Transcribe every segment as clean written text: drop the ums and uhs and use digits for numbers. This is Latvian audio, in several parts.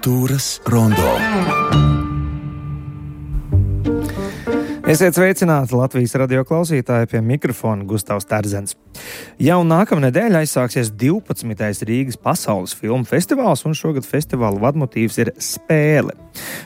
Kultūras rondo. Esiet sveicināti Latvijas radio klausītāji, pie mikrofona Gustavs Terzens. Jau nākamnedēļ aizsāksies 12. Rīgas pasaules filmu festivāls, un šogad festivāla vadmotīvs ir spēle.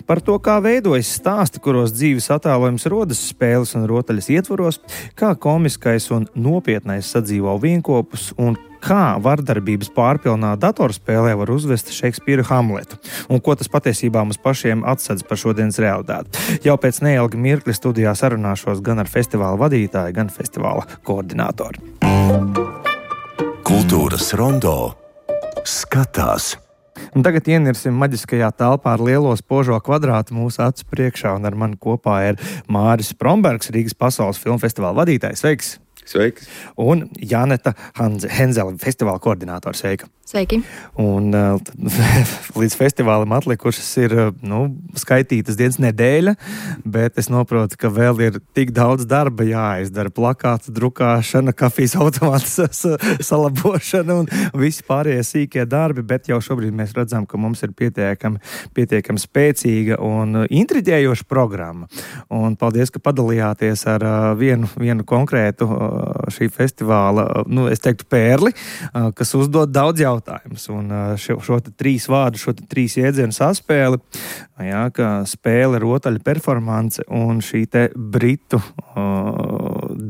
Par to, kā veidojas stāsti, kuros dzīves attēlojums rodas spēles un rotaļas ietvaros, kā komiskais un nopietnais sadzīvo vienkopus un kā vardarbības pārpilnā datorspēlē var uzvest Šekspīra Hamletu, un ko tas patiesībā mums pašiem atsedz par šodienas realitāti. Jau pēc neilga mirkļa studijā sarunāšos gan ar festivāla vadītāju, gan festivāla koordinātoru. Kultūras rondo skatās. Un tagad ienirsim maģiskajā telpā ar lielo spožo kvadrātu mūsu acu priekšā, un ar mani kopā ir Māris Sprombergs, Rīgas pasaules filmu festivāla vadītājs. Sveiks! Sveiki! Un Janeta Henzele, festivāla koordinātore. Sveika! Sveiki! Un līdz festivālam atlikušas ir skaitītas dienas nedēļa, bet es saprotu, ka vēl ir tik daudz darba jāizdara. Plakātu drukāšana, kafijas automātas salabošana un visi pārējie sīkie darbi, bet jau šobrīd mēs redzam, ka mums ir pietiekami spēcīga un intriģējoša programma. Un paldies, ka padalījāties ar vienu konkrētu šī festivāla, es teiktu, pērli, kas uzdod daudz jautājumus. Un šo te trīs vārdu, šo te trīs jēdzienu saspēli, ka spēle, rotaļa, performance un šī te britu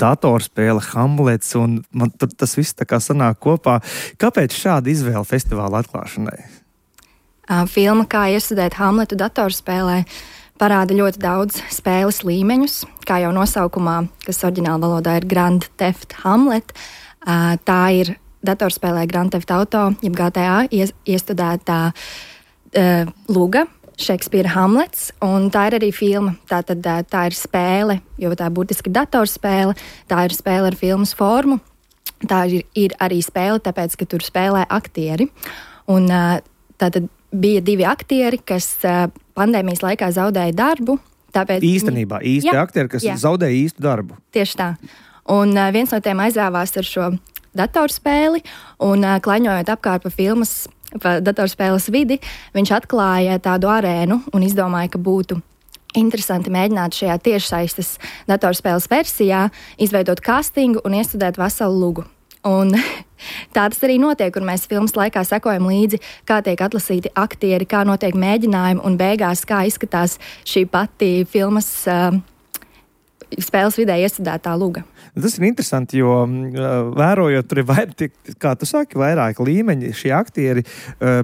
datorspēle Hamlets, un man tas viss tā kā sanāk kopā. Kāpēc šāda izvēle festivāla atklāšanai? Filma Kā iestudēt Hamletu datorspēlē parāda ļoti daudz spēles līmeņus, kā jau nosaukumā, kas oriģināla valodā ir Grand Theft Hamlet. Tā ir datorspēlē Grand Theft Auto, jeb GTA, iestudētā luga, Šekspīra Hamlets, un tā ir arī filma. Tātad tā ir spēle, jo tā burtiski ir datorspēle, tā ir spēle ar filmas formu, tā ir arī spēle, tāpēc, ka tur spēlē aktieri. Un tātad bija divi aktieri, kas pandēmijas laikā zaudēja darbu. Īstenībā, aktieri, kas zaudēja īstu darbu. Tieši tā. Un viens no tiem aizrāvās ar šo datorspēli, un klaņojot apkārt pa datorspēles vidi, viņš atklāja tādu arēnu un izdomāja, ka būtu interesanti mēģināt šajā tiešsaistes datorspēles versijā izveidot castingu un iestudēt veselu lugu. Un tā tas arī notiek, un mēs filmas laikā sekojam līdzi, kā tiek atlasīti aktieri, kā notiek mēģinājumi, un beigās kā izskatās šī pati filmas spēles vidē iestudētā luga. Tas ir interesanti, jo vērojot, tur ir, kā tu saki, vairāk līmeņi. Šie aktieri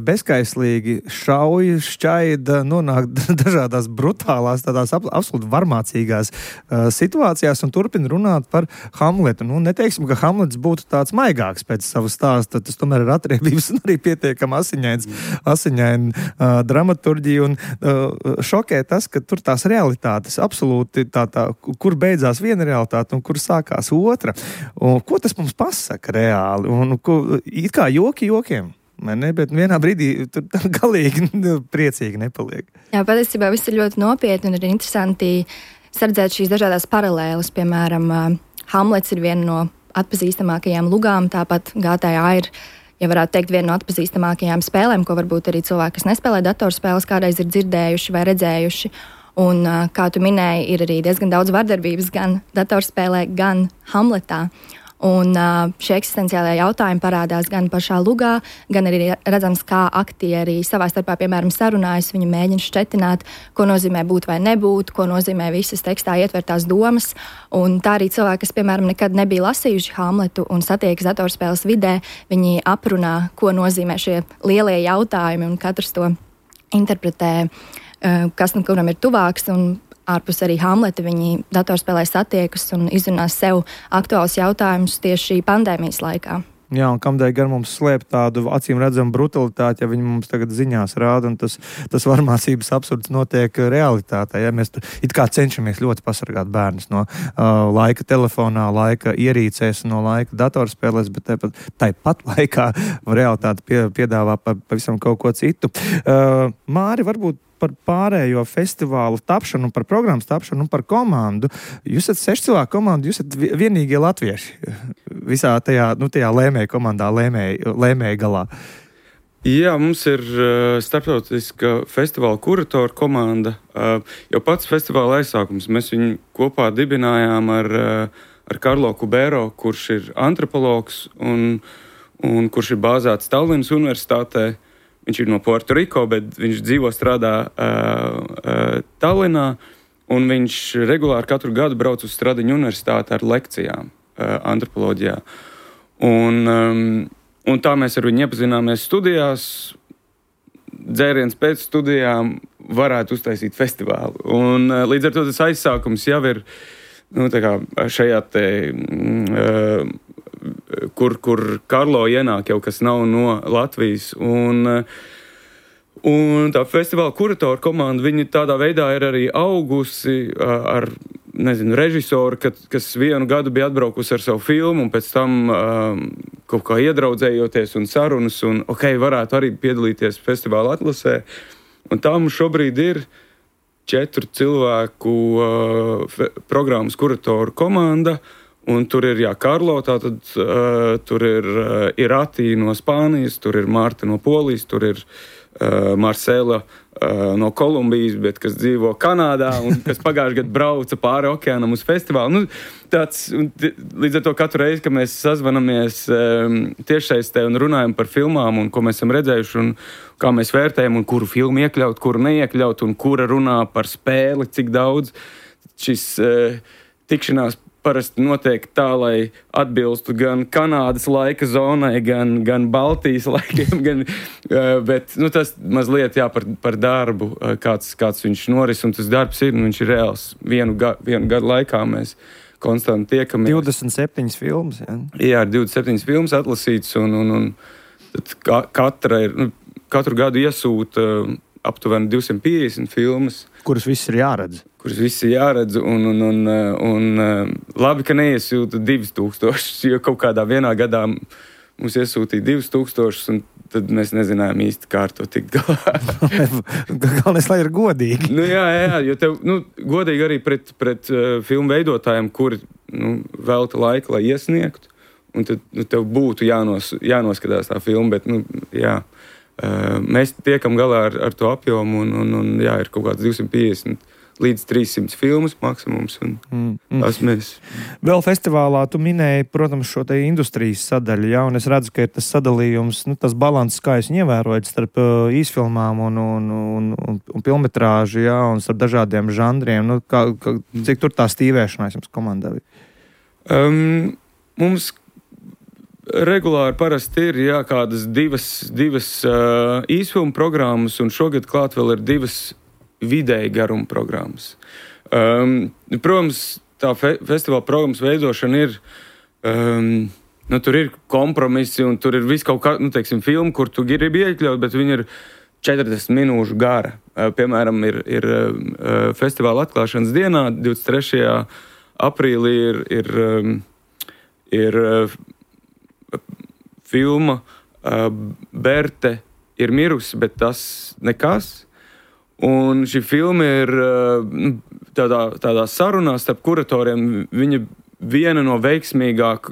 bezkaislīgi šauj, šķaida, nonāk dažādās brutālās, tādās absolūti varmācīgās situācijās un turpina runāt par Hamletu. Neteiksim, ka Hamlets būtu tāds maigāks pēc savu stāstu, tas tomēr ir atriebības un arī pietiekami asiņaina dramaturģija, un šokē tas, ka tur tās realitātes absolūti kur beidzās viena realitāte un kur sākās otra. Un ko tas mums pasaka reāli? Un it kā jokiem. Ne, bet vienā brīdī tur galīgi priecīgi nepaliek. Jā, patiesībā viss ir ļoti nopietni un ir interesanti sardzēt šīs dažādās paralēles. Piemēram, Hamlets ir viena no atpazīstamākajām lugām, tāpat GTA ir, ja varētu teikt, viena no atpazīstamākajām spēlēm, ko varbūt arī cilvēki, kas nespēlē datorspēles, kādreiz ir dzirdējuši vai redzējuši. Un, kā tu minēji, ir arī diezgan daudz vardarbības gan datorspēlē, gan Hamletā. Un šie eksistenciālie jautājumi parādās gan pašā lugā, gan arī redzams, kā aktieri savā starpā, piemēram, sarunājas, viņi mēģina šķetināt, ko nozīmē būt vai nebūt, ko nozīmē visas tekstā ietvertās domas. Un tā arī cilvēki, kas, piemēram, nekad nebija lasījuši Hamletu un satiekas datorspēles vidē, viņi aprunā, ko nozīmē šie lielie jautājumi, un katrs to interpretē, kas nu kuram ir tuvāks, un ārpus arī Hamleta viņi datorspēlē satiekas un izrunās sev aktuāls jautājumus tieši pandēmijas laikā. Jā, un kamdēļ gan mums slēpt tādu acīm redzamu brutalitāti, ja viņi mums tagad ziņās rāda, un tas varmācības absurds notiek realitātē. Ja mēs it kā cenšamies ļoti pasargāt bērnus no laika telefonā, laika ierīcēs, no laika datorspēlēs, bet tāpat laikā realitāte piedāvā pavisam kaut ko citu. Māri, varbūt par pārējo festivālu tapšanu, par programmas tapšanu un par komandu. Jūs esat 6 cilvēku komanda, jūs esat vienīgie latvieši visā tajā lēmēju komandā, lēmēju galā. Jā, mums ir starptautiska festivāla kuratoru komanda. Jau pats festivāla aizsākums. Mēs viņu kopā dibinājām ar Karlo Kubero, kurš ir antropologs un kurš ir bāzēts Tallinas universitātē. Viņš ir no Puertoriko, bet viņš dzīvo strādā Tallinā. Un viņš regulāri katru gadu brauc uz Stradiņu universitāti ar lekcijām antropoloģijā. Un tā mēs ar viņu iepazināmies studijās. Dzēriens pēc studijām varētu uztaisīt festivālu. Un līdz ar to tas aizsākums jau ir šajā te, kur Karlo ienāk jau, kas nav no Latvijas. Un tā festivāla kuratoru komanda, viņi tādā veidā ir arī augusi ar režisoru, kas vienu gadu bija atbraukusi ar savu filmu, un pēc tam kaut kā iedraudzējoties un sarunas, un varētu arī piedalīties festivāla atlasē. Un tā mums šobrīd ir 4 cilvēku programmas kuratoru komanda, un tur ir Karlo, tātad tur ir Irati no Spānijas, tur ir Marta no Polijas, tur ir Marcela no Kolumbijas, bet kas dzīvo Kanādā un kas pagājušajā gadā brauca pāri okeānam uz festivālu. Līdz ar to katru reizi, kad mēs sazvanamies tiešsaistē un runājam par filmām un ko mēs esam redzējuši un kā mēs vērtējam un kuru filmu iekļaut, kuru neiekļaut un kura runā par spēli, cik daudz, šis tikšanās parasti notiek tā, lai atbilstu gan Kanādas laika zonai, gan Baltijas laikiem, bet tas mazliet par darbu, kāds viņš noris, un tas darbs ir, viņš ir reāls. Vienu gadu laikā mēs konstanti tiekamies. 27 filmas, jā? Jā, 27 filmas atlasīts, un tad katru gadu iesūta aptuveni 250 filmas. Kuras viss ir jāredz. Un labi, ka neiesūta 2000, jo kaut kādā vienā gadā mums iesūtīja 2000, un tad mēs nezinājām īsti, kā ar to tikt galā. Galvenais, lai ir godīgi. Jā, jo tev, godīgi arī pret filmu veidotājiem, kuri velta laiku, lai iesniegtu, un tad tev būtu jānoskatās tā filma, bet, jā. Mēs tiekam galā ar to apjomu, un ir kaut kāds 250 līdz 300 filmas maksimums. Tas mēs. Vēl festivālā tu minēji, protams, šo te industrijas sadaļu, jā, un es redzu, ka ir tas sadalījums, tas balanss, kā es ievērojot starp īsfilmām un filmetrāžu, jā, un starp dažādiem žanriem. Cik tur tā stīvēšanās jums komandā bija? Mums regulāri parasti ir kādas divas īsfilmu programmas, un šogad klāt vēl ir 2 vidēji garuma programmas. Protams, tā festivāla programmas veidošana ir, tur ir kompromisi, un tur ir viss kaut kā, filma, kur tu gribi iekļaut, bet viņi ir 40 minūšu gara. Piemēram, ir festivāla atklāšanas dienā, 23. aprīlī ir filma Berte ir mirusi, bet tas nekas. Un šī filma ir tādā sarunā starp kuratoriem. Viņa viena no veiksmīgāk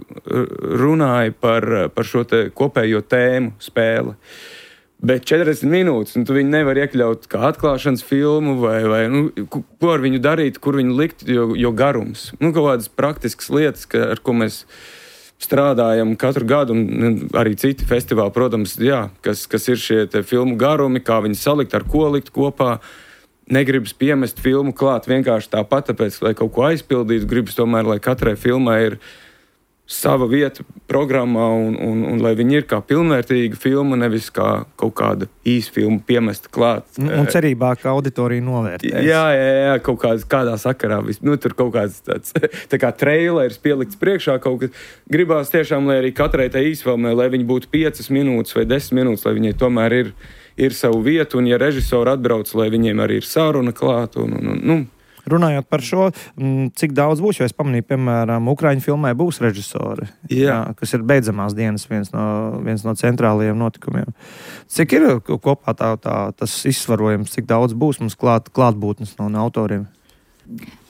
runāja par šo te kopējo tēmu spēli. Bet 40 minūtes, un tu viņu nevar iekļaut kā atklāšanas filmu, vai ko ar viņu darīt, kur viņu likt, jo garums. Kaut kādas praktiskas lietas, ar ko mēs strādājam katru gadu, un arī citi festivāli, protams, kas ir šie te filmu garumi, kā viņi salikt, ar ko likt kopā. Negribas piemest filmu klāt vienkārši tāpat, tāpēc, lai kaut ko aizpildītu, gribas tomēr, lai katrai filmai ir sava vieta programmā, un lai viņi ir kā pilnvērtīga filma, nevis kā kaut kāda īsfilma piemesta klāt. Un cerībā, ka auditorija novērtēs. Jā, kaut kādā sakarā. Tur kaut kāds tāds tā kā treilers pielikts priekšā kaut kas. Gribās tiešām, lai arī katrai tai īsfilmai, lai viņi būtu 5 minūtes vai 10 minūtes, lai viņai tomēr ir savu vietu, un ja režisori atbrauc, lai viņiem arī ir sāruna klāt, Runājot par šo, cik daudz būs, jo es pamanīju, piemēram, Ukraiņu filmai būs režisori, kas ir beidzamās dienas viens no centrālajiem notikumiem. Cik ir kopā tas izsvarojums, cik daudz būs mums klātbūtnes no autoriem?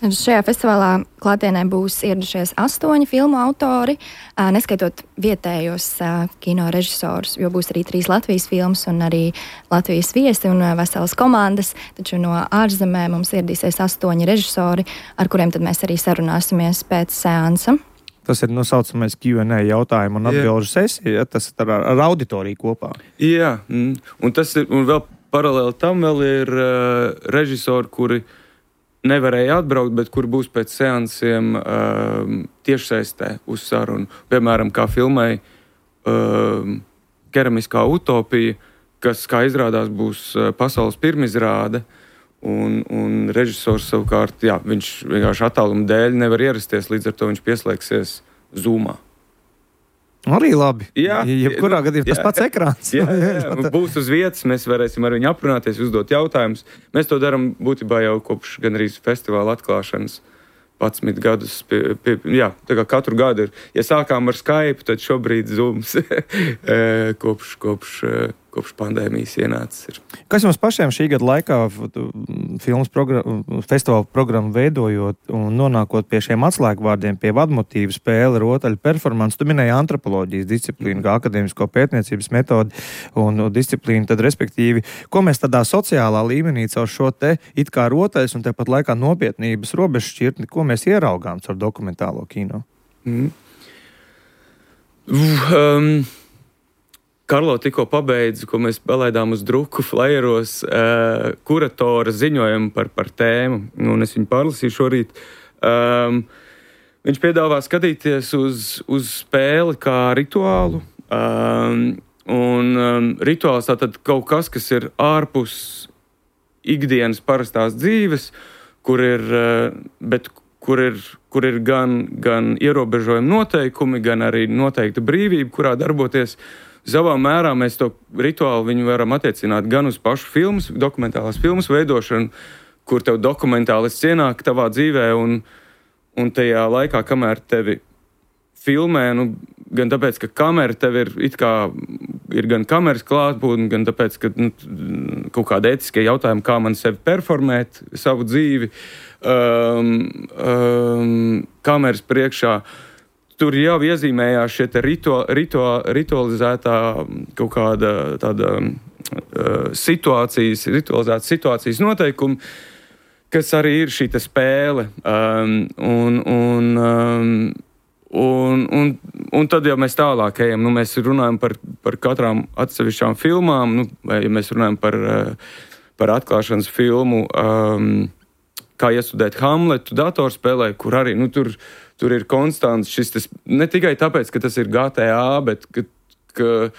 Šajā festivālā klātienē būs ieradušies 8 filmu autori, neskaitot vietējos kino režisorus, jo būs arī 3 Latvijas filmas un arī Latvijas viesi un veselas komandas. Taču no ārzemēm mums ieradīsies 8 režisori, ar kuriem tad mēs arī sarunāsimies pēc seansa. Tas ir nosaucamais Q&A jautājumu un atbilžu sesija, tas ir ar auditoriju kopā. Jā, un tas ir, un vēl paralēli tam vēl ir režisori, kuri nevarēja atbraukt, bet kur būs pēc seansiem tiešsaistē uz sarunu. Piemēram, kā filmai Keramiskā utopija, kas, kā izrādās, būs pasaules pirmizrāde, un režisors savukārt, jā, viņš vienkārši attāluma dēļ nevar ierasties, līdz ar to viņš pieslēgsies Zoomā. Arī labi. Jā, jebkurā gadījumā tas pats ekrāns. Jā, būs uz vietas, mēs varēsim ar viņu aprunāties, uzdot jautājumus. Mēs to darām būtībā jau kopš gandrīz festivāla atklāšanas 11 gadus. Jā, tā kā katru gadu ir. Ja sākām ar Skype, tad šobrīd Zooms kopš pandēmijas ienācis ir. Kas jums pašiem šī gada laikā festivāla programmu veidojot un nonākot pie šiem atslēgvārdiem, pie vadmotīvu, spēle, rotaļu, performance, tu minēji antropoloģijas disciplīnu, kā akadēmisko pētniecības metodi un disciplīnu, tad respektīvi, ko mēs tādā sociālā līmenī caur šo te it kā rotaļas un tepat laikā nopietnības robežšķirtni, ko mēs ieraugām caur dokumentālo kino? Karlo tikko pabeidza, ko mēs palaidām uz druku flajeros, kuratora ziņojumu par tēmu, un es viņu pārlasīju šorīt. Viņš piedāvā skatīties uz spēli kā rituālu, un rituāls tātad kaut kas, kas ir ārpus ikdienas parastās dzīves, kur ir gan ierobežojumi noteikumi, gan arī noteikta brīvība, kurā darboties. Savā mērā mēs to rituālu viņu varam attiecināt gan uz pašu filmas, dokumentālās filmas veidošanu, kur tev dokumentālists ienāk tavā dzīvē un tajā laikā, kamēr tevi filmē, gan tāpēc, ka kamera tev ir gan kameras klātbūtne, gan tāpēc, ka kaut kāda ētiskie jautājumi, kā man sevi performēt, savu dzīvi, kameras priekšā. Tur jau iezīmējās šie ritualizētā kaut kāda tāda ritualizētas situācijas noteikumi, kas arī ir šī spēle. Un tad jau mēs tālāk ejam. Mēs runājam par katrām atsevišķām filmām, vai ja mēs runājam par atklāšanas filmu, kā iestudēt Hamletu datorspēlē, kur arī tur ir konstants šis, ne tikai tāpēc, ka tas ir GTA, bet ka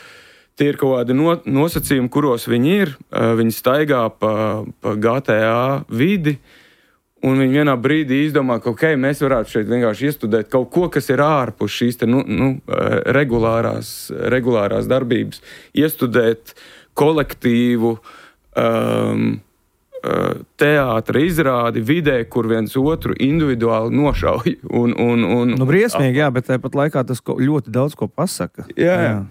tie ir kaut kādi nosacījumi, kuros viņi ir. Viņi staigā pa GTA vidi, un viņi vienā brīdī izdomā, ka mēs varētu šeit vienkārši iestudēt kaut ko, kas ir ārpus šīs regulārās darbības. Iestudēt kolektīvu, teātra izrādi vidē, kur viens otru individuāli nošauj. Briesmīgi, jā, bet tāpat laikā tas ļoti daudz ko pasaka. Jā.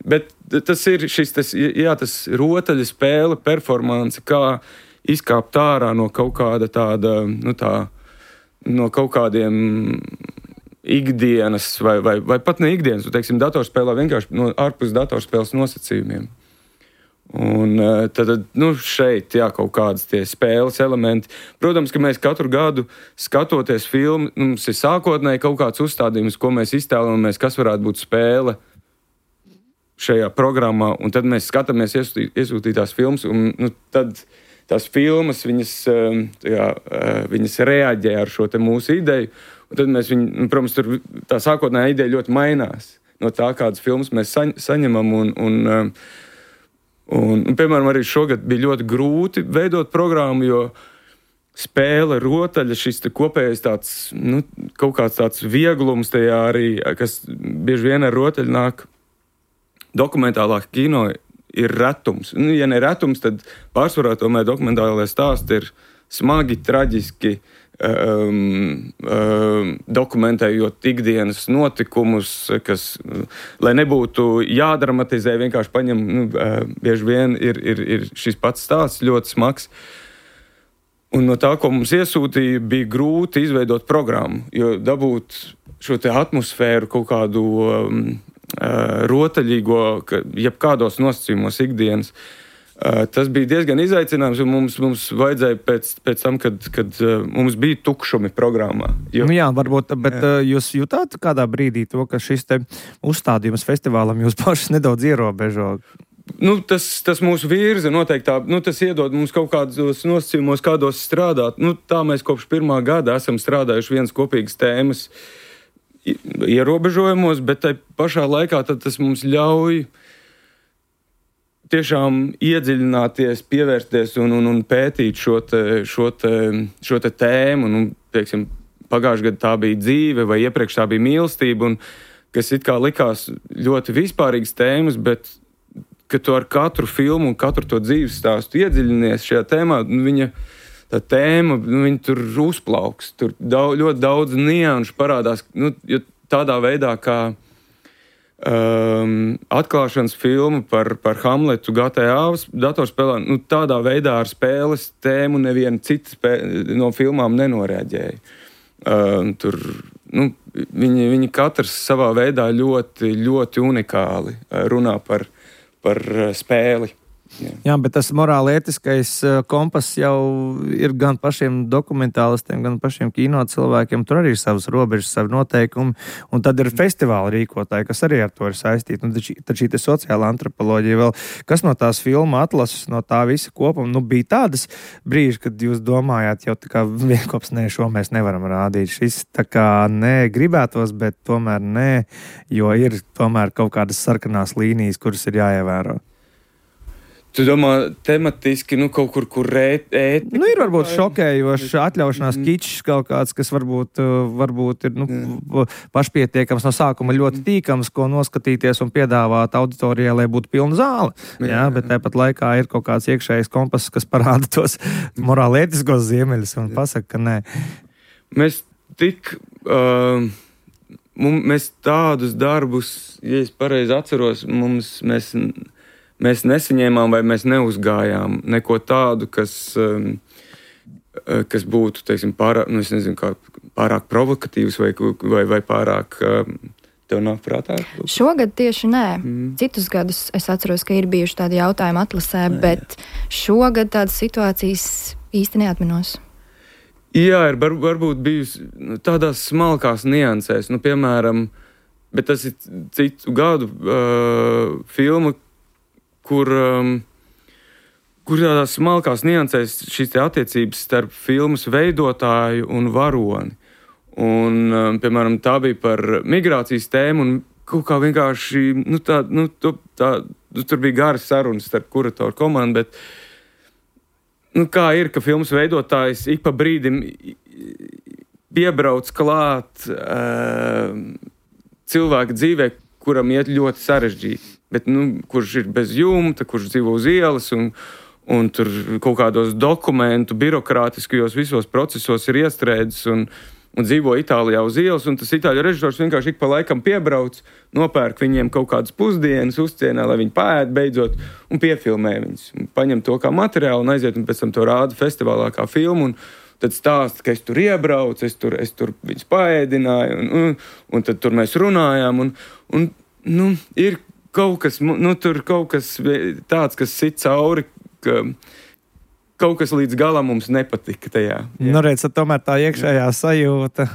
Bet tas ir tas rotaļa spēle, performance, kā izkāpt ārā no kaut kāda tāda, no kaut kādiem ikdienas vai pat ne ikdienas, teiksim, datorspēlē vienkārši ārpus datorspēles nosacījumiem. Un tad šeit, jā, kaut kādas tie spēles elementi. Protams, ka mēs katru gadu skatoties filmu, mums ir sākotnēji kaut kāds uzstādījums, ko mēs iztēlamies, kas varētu būt spēle šajā programmā, un tad mēs skatāmies iesūtītās filmas, un tad tās filmas, viņas reaģē ar šo te mūsu ideju, un tad mēs protams, tur tā sākotnējā ideja ļoti mainās no tā, kādas filmas mēs saņemam, un, piemēram, arī šogad bija ļoti grūti veidot programmu, jo spēle, rotaļa, šis kopējais tāds, kaut kāds tāds vieglums tajā arī, kas bieži vien ar rotaļu nāk dokumentālā kino, ir retums. Ja ne retums, tad pārsvarā tomēr dokumentālajā stāsti ir smagi, traģiski, dokumentējot ikdienas notikumus, kas, lai nebūtu jādramatizē, vienkārši paņem, bieži vien ir šis pats stāsts ļoti smags. Un no tā, ko mums iesūtīja, bija grūti izveidot programmu, jo dabūt šo te atmosfēru kaut kādu rotaļīgo, jebkādos nosacījumos ikdienas. Tas bija diezgan izaicinājums, un mums vajadzēja pēc tam, kad mums bija tukšumi programmā. Jo... Nu jā, varbūt, bet jūs jutāt kādā brīdī to, ka šis te uzstādījums festivālam jūs pašas nedaudz ierobežo? Nu, tas mūsu virza noteikti tā, tas iedod mums kaut kādos nosacījumos, kādos strādāt. Tā mēs kopš 1. gada esam strādājuši vienas kopīgas tēmas ierobežojumos, bet tai pašā laikā tas mums ļauj tiešām iedziļināties, pievērsties un pētīt šo te tēmu. Teiksim, pagājušajā gadā tā bija dzīve, vai iepriekš tā bija mīlestība, kas it kā likās ļoti vispārīgas tēmas, bet ka tu ar katru filmu un katru to dzīves stāstu iedziļinies šajā tēmā, tā tēma, viņa tur uzplauks. Tur ļoti daudz nianšu parādās, jo tādā veidā, kā atklāšanas filma par Hamletu GTA datorspēlē, tādā veidā ar spēles tēmu neviena cita no filmām nenoreaģēja. Tur, viņi katrs savā veidā ļoti, ļoti unikāli runā par spēli. Jā, bet tas morāli-ētiskais kompass jau ir gan pašiem dokumentālistiem, gan pašiem kino cilvēkiem. Tur arī ir savas robežas, savi noteikumi. Un tad ir festivāla rīkotāji, kas arī ar to ir saistīti. Tad šī sociāla antropoloģija vēl, kas no tās filma atlases, no tā visa kopuma, bija tādas brīži, kad jūs domājāt, jau tā kā vienkops, šo mēs nevaram rādīt. Šis tā kā gribētos, bet tomēr jo ir tomēr kaut kādas sarkanās līnijas, kuras ir jāievēro. Tu domā, tematiski, kaut kur ētika? Ir varbūt šokējošs atļaušanās kičs kaut kāds, kas varbūt ir pašpietiekams no sākuma ļoti tīkams, ko noskatīties un piedāvāt auditorijai, lai būtu pilna zāle. Jā, bet tāpat laikā ir kaut kāds iekšējais kompass, kas parāda tos morāli-ētiskos ziemeļus un pasaka, ka nē. Mēs mēs tādus darbus, ja es pareizi atceros, mēs nesaņēmām vai mēs neuzgājām neko tādu, kas būtu, teiksim, pārāk provokatīvs vai pārāk tev nāk prātā? Šogad tieši nē. Citus gadus es atceros, ka ir bijuši tādi jautājumi atlasē, bet šogad tādas situācijas īsti neatminos. Jā, ir varbūt bijusi tādās smalkās niansēs, piemēram, bet tas ir citu gadu filma, kur tādās smalkās niansēs šīs attiecības starp filmas veidotāju un varoni. Un, piemēram, tā bija par migrācijas tēmu, un kaut kā vienkārši, tur bija garas sarunas starp kuratoru komandu, bet kā ir, ka filmas veidotājs ik pa brīdim piebrauc klāt cilvēka dzīvē, kuram iet ļoti sarežģīti. Bet, kurš ir bez jumta, kurš dzīvo uz ielas un tur kaut kādos dokumentu, birokrātiskajos visos procesos ir iestrēdzis un dzīvo Itālijā uz ielas, un tas itāļu režisors vienkārši ik pa laikam piebrauc, nopērk viņiem kaut kādas pusdienas, uzcienā, lai viņi paēd beidzot, un piefilmē viņus. Paņem to kā materiālu un aiziet, un pēc tam to rāda festivālā kā filmu, un tad stāsta, ka es tur iebraucu, es tur viņus paēdināju, un tad tur mēs runājām, un ir kaut kas, tur kaut kas tāds, kas sit cauri, ka kaut kas līdz galam mums nepatika tajā. Redz, tomēr tā iekšējā sajūta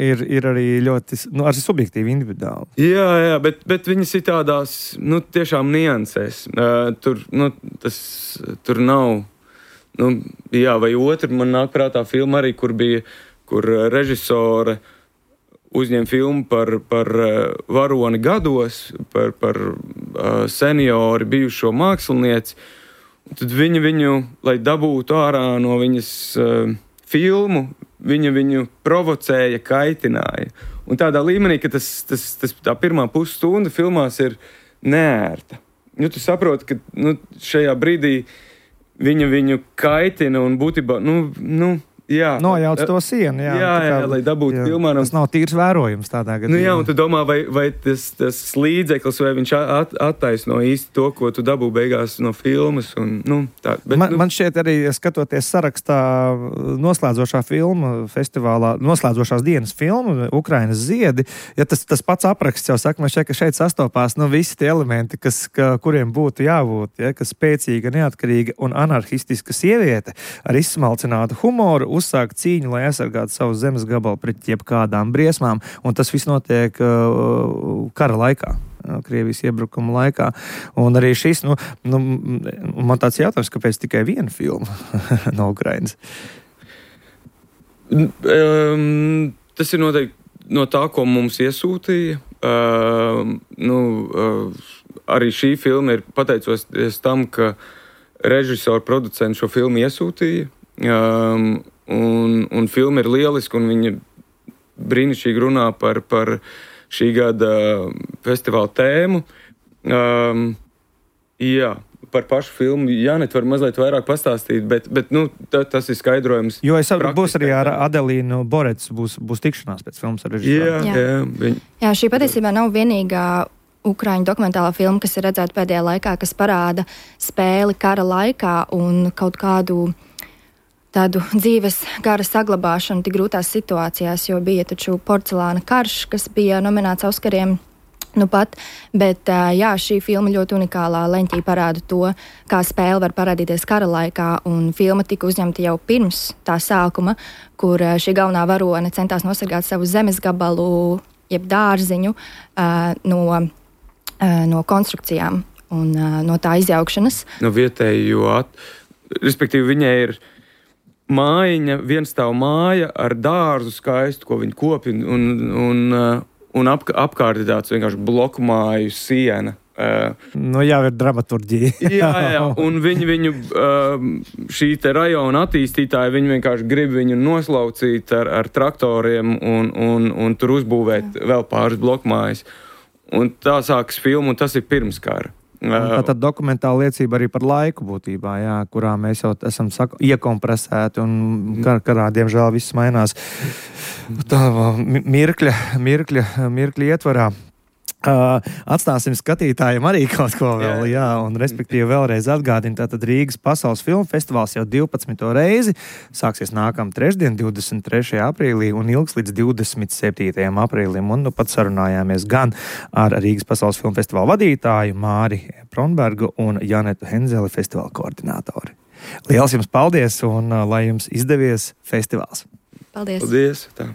ir arī ļoti, arī subjektīvi individuāli. Jā, bet viņas ir tādās, tiešām niansēs. Tur nav, vai otru, man nāk prātā filma arī, kur režisore uzņem filmu par varoni gados, par seniori bijušo mākslinieci. Tad viņu, lai dabūtu ārā no viņas filmu, viņu provocēja, kaitināja. Un tādā līmenī, ka tā pirmā pusstunda filmās ir neērta. Tu saproti, ka šajā brīdī viņu kaitina un būtībā, nojauc to sienu. Jā, lai dabūtu filmā. Tas nav tīrs vērojums tādā gadījumā. Nu jā, un tu domā, vai tas līdzeklis, vai viņš attaisno īsti to, ko tu dabū beigās no filmas. Un, tā. Bet, man šķiet arī, skatoties sarakstā noslēdzošā filma festivālā, noslēdzošās dienas filma, Ukrainas ziedi, ja tas pats apraksts jau saka, man šķiet, ka šeit sastopās visi tie elementi, kuriem būtu jābūt, kas spēcīga, neatkarīga un anarhistiska sieviete ar izsmalcinātu humoru uzsāk cīņu, lai aizsargātu savu zemes gabalu pret jebkādām briesmām, un tas viss notiek kara laikā. Krievijas iebrukuma laikā. Un arī šis, man tāds jautājums, kāpēc tikai viena filma no Ukrainas? Tas ir noteikti no tā, ko mums iesūtīja. Arī šī filma ir pateicoties tam, ka režisori, producenti šo filmu iesūtīja. Un filma ir lieliska, un viņa brīnišķīgi runā par šī gada festivāla tēmu. Par pašu filmu Jānet var mazliet vairāk pastāstīt, bet tas ir skaidrojums. Jo es saprotu, būs arī ar Adelīnu Borets, būs tikšanās pēc filmas ar režisoru. Jā, šī patiesībā nav vienīgā Ukraiņu dokumentālā filma, kas ir redzēta pēdējā laikā, kas parāda spēli kara laikā un kaut kādu tādu dzīves gara saglabāšanu tik grūtās situācijās, jo bija taču Porcelāna karš, kas bija nominēts Oskariem bet šī filma ļoti unikālā leņķī parāda to, kā spēle var parādīties kara laikā, un filma tika uzņemta jau pirms tā sākuma, kur šī galvenā varone centās nosargāt savu zemes gabalu, jeb dārziņu no konstrukcijām un no tā izjaukšanas. No vietējo, respektīvi viņai ir mājiņa, vienstāv māja ar dārzu skaistu, ko viņi kopi, un apkārt ir tāds vienkārši bloku māju siena. Jā, ir dramaturģija. jā, un viņu šī te rajona attīstītāji, viņi vienkārši grib viņu noslaucīt ar traktoriem un tur uzbūvēt vēl pāris bloku mājas. Un tā sākas filma, un tas ir pirms kara. Tātad dokumentāla liecība arī par laiku būtībā, kurā mēs jau esam iekompresēti un karā, diemžēl, viss mainās tā mirkļa ietvarā. Atstāsim skatītājiem arī kaut ko vēl, un respektīvi vēlreiz atgādina, tātad Rīgas Pasaules filmu festivāls jau 12. reizi, sāksies nākamā trešdien, 23. aprīlī un ilgs līdz 27. aprīlim, un pat sarunājāmies gan ar Rīgas Pasaules filmu festivāla vadītāju Māri Pronbergu un Janetu Henzeli festivāla koordinātori. Liels jums paldies un lai jums izdevies festivāls! Paldies! Paldies! Tā.